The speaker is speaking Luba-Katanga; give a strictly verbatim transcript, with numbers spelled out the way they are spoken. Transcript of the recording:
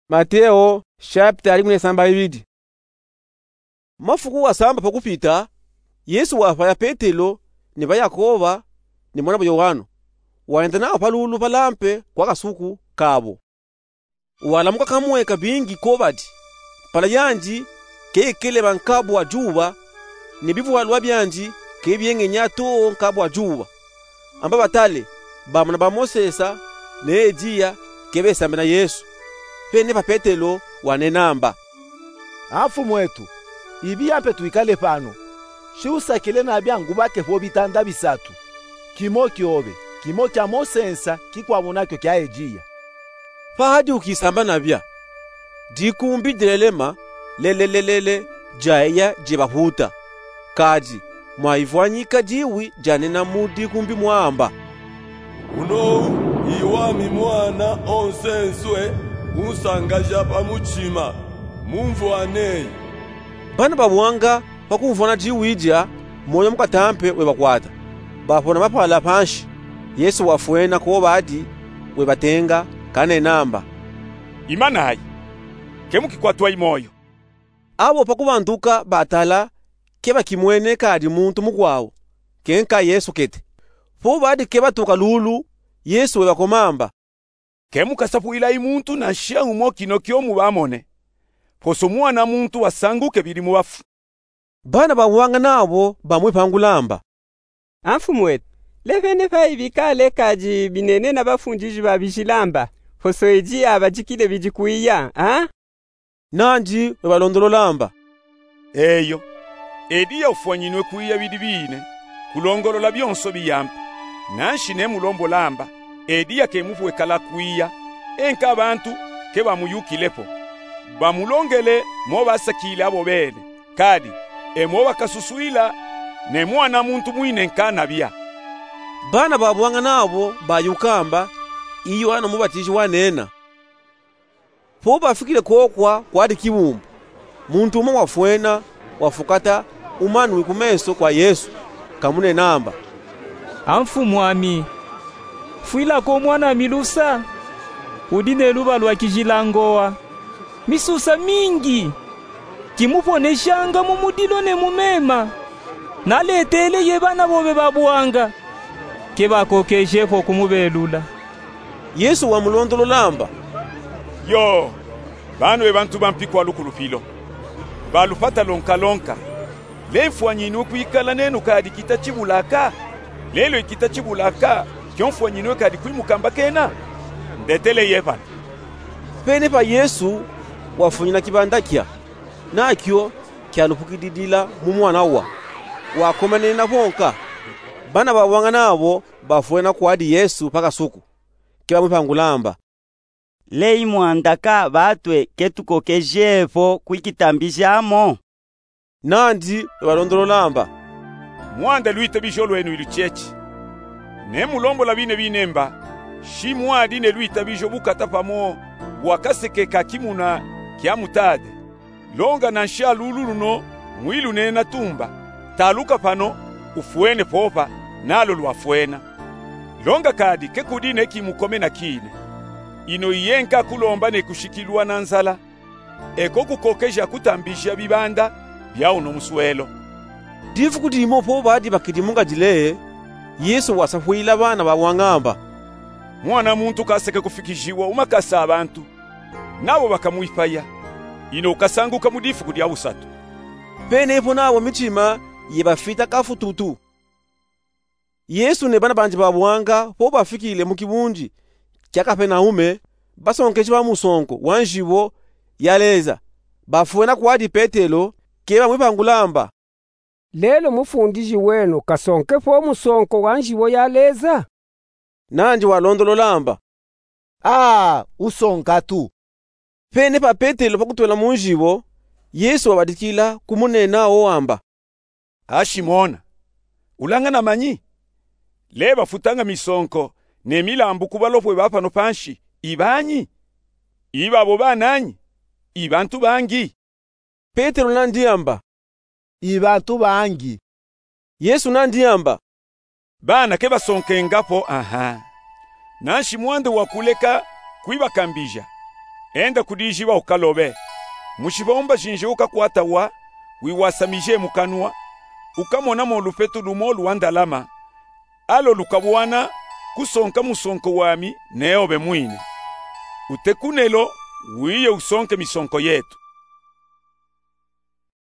Mateo shapitala dikumi ne samba ibidi. Mafuku wasamba pa kupita, Yesu wafwaya Petelo, ni ba Yakoba, ni mwana'bo Yoano. Wayenda nabo pa lulu balampe kwa kasuku kabo. Walamuka kamue kabingi ko badi: Mpala yandi ke ikeleba nkabu wa juba, ni bivwalwa byandi ke byengenya too nkabu wa juba. Amba batale, bamona ba Mosesa ne Eliya ke besambena Yesu. Pene pa Petelo wanena amba: A Mfumu etu, ibiya mpe twikale pano. Shi usakile nabya ngubake fo bitanda bisatu, kimo kyobe, kimo kya Mosesa, kikwabo nakyo kya Eliya. Pahadi ukisamba nabya, dikumbi dilelema lelelelele dyayiya dyebahuta. Kadi mwaivwanyika diwi dyanena mu dikumbi mwamba: Uno i wami mwana onsenswe, unsangaja pa mutima, mumvwaneyi. Bana babwanga pa kumvwana diwi dya, mwoyo mukatampe webakwata. Bafona mapala panshi. Yesu wafwena ko badi, webatenga, kanena amba: Imanayi, ke mukikwatwayi mwoyo. Abo pa kubanduka batala, ke bakimwene kadi muntu mukwawu, ke nka Yesu kete. Po badi ke batuka lulu, Yesu webakoma amba: Ke mukasapwilayi muntu nansha umo kino kyo mubamone, poso Mwana muntu wasanguke bidi mu bafu. Bana babwanga nabo bamwipangula amba: A Mfumu etu, lebene payi bikale kadi binene na bafundiji ba bijila amba, poso Eliya abadikile bidi kwiya, a? Nandi webalondolola amba: Eyo, Eliya ufwanyinwe kwiya bidi biine, kulongolola byonso biyampe. Nanshi nemulombola amba, Eliya ke mufwe kala kwiya, e nka bantu ke bamuyukile po. Bamulongele mo basakile abo bene, kadi e mo bakasuswila ne Mwana muntu mwine nkanabya. Bana babwanga nabo bayuka amba: I Yoane Mubatiji wanena. Po bafikile kokwa kwadi kibumbu, muntu umwe wafwena, wafukata umanwi ku menso kwa Yesu, kamunena amba: A Mfumwami, fwilako mwanami lusa, udi ne luba lwa kijila ngowa, misusa mingi, kimuponeshanga mu mudilo ne mu mema. Naletele ye bana bobe babwanga, ke bakokeje po kumubelula. Yesu wamulondolola amba: Yo, banu e bantu bampi kwa lukulupilo, ba lupata lonkalonka. Le mfwanyinwe kwikala nenu kadi kita chibulaka? Lelo ikita chibulaka kyo mfwanyinwe kadi kwimukamba kena? Ndetele ye pano. Pene pa Yesu wafunyina kibanda kya, nakyo kyalupukididila mu mwana wa, wakomanena bonka. Bana babwanga nabo bafwena kwadi Yesu pa kasuku, ke bamwipangula amba: Leyi mwandaka batwe ke tukokeje po kwikitambija mo? Nandi webalondolola amba: Mwanda lwitabijo lwenu iluchechi. Nemulombola bine bine mba, shi mwadi ne lwitabijo bukata pamo bwa kaseke ka kimuna kya mutade. Longa nansha lulu luno mwilunena tumba, taluka pano, ufwene popa, nalo lwafwena. Longa kadi ke kudi ne kimukome na kine. Ino iyenka kulomba ne kushikilwa na nzala, eko kukokeja kutambija bibanda bya uno muswelo. Difuku dimo po badi bakidi mu ngadile, Yesu wasapwila bana babwanga amba: Mwana muntu kaseke kufikijiwa mu makasa a bantu, nabo bakamwipaya, ino ukasanguka mu difuku dya busatu. Pene po nabo michima yebafita kafututu. Yesu ne bana bandi babwanga po bafikile mu kibundi kya Kapenaume, basonkeji ba musonko wa njibo ya Leza bafwena kwadi Petelo, ke bamwipangula amba: Lelo mufundiji wenu kasonke po musonko wa njibo ya Leza? Nandi walondolola amba: Aa, usonka tu. Pene pa Petelo pa kutwela mu njibo, Yesu wabadikila kumunena wo amba: A Shimona, ulanga na manyi? Le bafutanga misonko ne milambu ku balopwe ba pano panshi ibanyi? Ibabo bananyi? Ibantu bangi? Petelo nandi amba: Ibantu bangi. Yesu nandi amba: Bana ke basonkenga po, aha. Nanshi mwande wakuleka kwibakambija. Enda ku diziba ukalobe. Mu zibomba zinzi ukakwata wa, wiwasamije mu kanwa, ukamona mo lufetu lumo luwandalama, alo lukabwana kusonka musonko wami neobe mwine. Utekunelo, wiye usonke misonko yetu.